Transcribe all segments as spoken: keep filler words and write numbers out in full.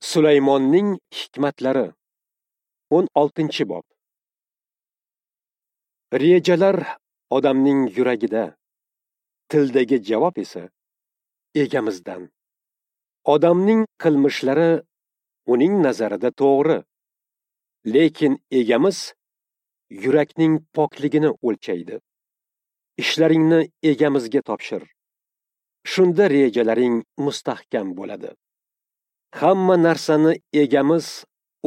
Sulaymonning hikmatlari o'n oltinchi bob. Rejalar odamning yuragida, tildagi javob esa egamizdan. Odamning qilmishlari uning nazarida to'g'ri, lekin egamiz yurakning pokligini o'lchaydi. Ishlaringni egamizga topshir. Shunda rejalaring mustahkam bo'ladi. Hamma narsani egamiz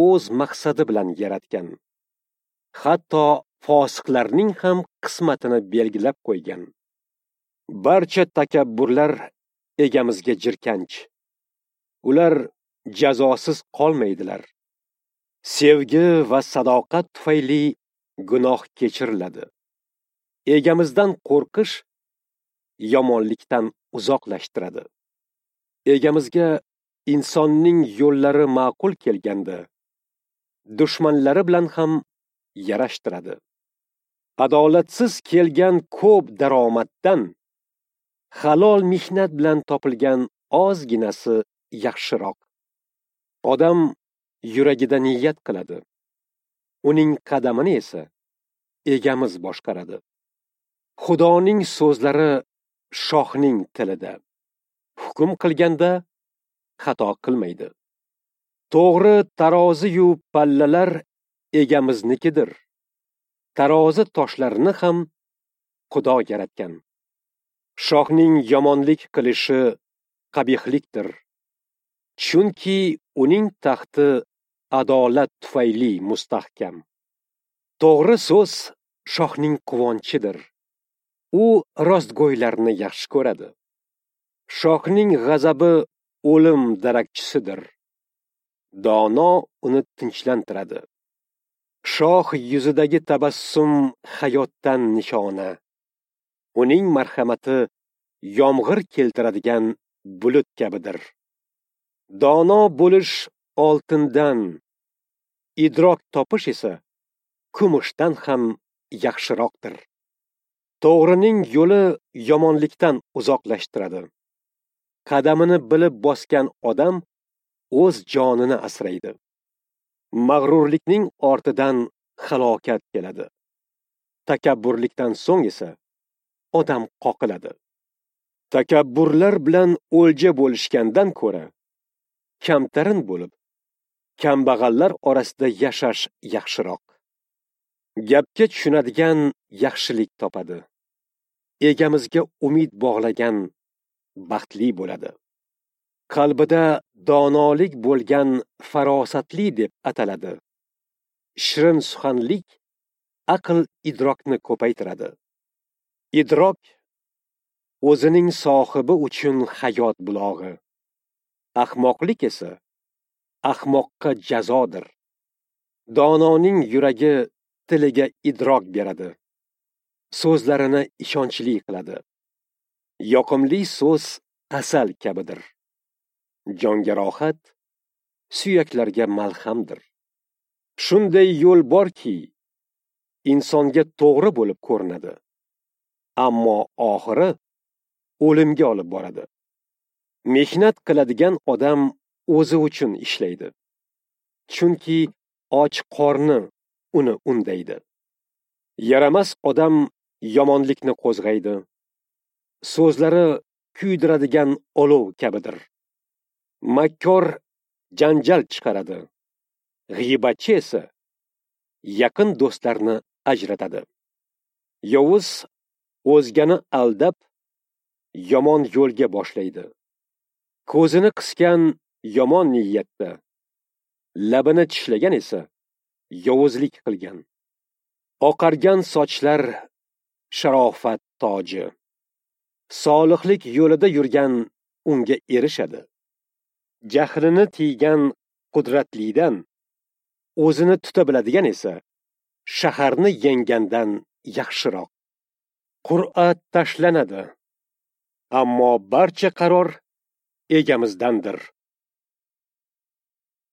o'z maqsadi bilan yaratgan. Hatto fosiqlarning ham qismatini belgilab qo'ygan. Barcha takabburlar egamizga jirkanch. Ular jazosiz qolmaydilar. Sevgi va sadoqat tufayli gunoh kechiriladi. Egamizdan qo'rqish yomonlikdan uzoqlashtiradi. Egamizga insonning yo'llari ma'qul kelganda, dushmanlari bilan ham yarashtiradi. Adolatsiz kelgan ko'p daromaddan halol mehnat bilan topilgan ozginasi yaxshiroq. Odam yuragida niyat qiladi. Uning qadamini esa egamiz boshqaradi. Xudoning so'zlari shohning tilida. Hukm qilganda xato qilmaydi. To'g'ri tarozi-yu pallalar egamiznikidir. Tarozi toshlarini ham Xudo yaratgan. Shohning yomonlik qilishi qabihlikdir. Chunki uning taxti adolat tufayli mustahkam. To'g'ri so'z shohning quvonchidir. U rostgo'ylarni yaxshi ko'radi. Shohning g'azabi o'lim darakchisidir. Dono uni tinchlantiradi. Shoh yuzidagi tabassum hayotdan nishona. Uning marhamati yomg'ir keltiradigan bulut kabidir. Dono bo'lish oltindan, idrok topish esa kumushdan ham yaxshiroqdir. To'g'rining yo'li yomonlikdan uzoqlashtiradi. Qadamini bilib bosgan odam o'z jonini asraydi. Mag'rurlikning ortidan halokat keladi. Takabburlikdan so'ng esa odam qoqiladi. Takabburlar bilan o'lja bo'lishgandan ko'ra kamtarin bo'lib, kambag'allar orasida yashash yaxshiroq. Gapga tushunadigan yaxshilik topadi. Egamizga umid bog'lagan baxtli bo'ladi. Qalbida donolik bo'lgan farosatli deb ataladi. Shirin suxanlik aql idrokni ko'paytiradi. Idrok o'zining sohibi uchun hayot bulog'i. Ahmoqlik esa ahmoqqa jazodir. Dononing yuragi tiliga idrok beradi. So'zlarini ishonchli qiladi. Yoqimli so'z asal kabidir. Jonga rohat, suyaklarga malhamdir. Shunday yo'l borki, insonga to'g'ri bo'lib ko'rinadi, ammo oxiri o'limga olib boradi. Mehnat qiladigan odam o'zi uchun ishlaydi. Chunki och qorni uni undaydi. Yaramas odam yomonlikni qo'zg'aydi. So'zlari kuydiradigan olov kabidir. Makkor janjal chiqaradi. G'iybatchi esa yaqin do'stlarni ajratadi. Yovuz o'zgani aldab yomon yo'lga boshlaydi. Ko'zini qisgan yomon niyatda, labini tishlagan esa yovuzlik qilgan. Oqargan sochlar sharofat toji. Solihlik yo'lida yurgan unga erishadi. Jahlini tiygan qudratlidan, o'zini tuta biladigan esa shaharni yenggandan yaxshiroq. Qur'a tashlanadi, ammo barcha qaror egamizdandir.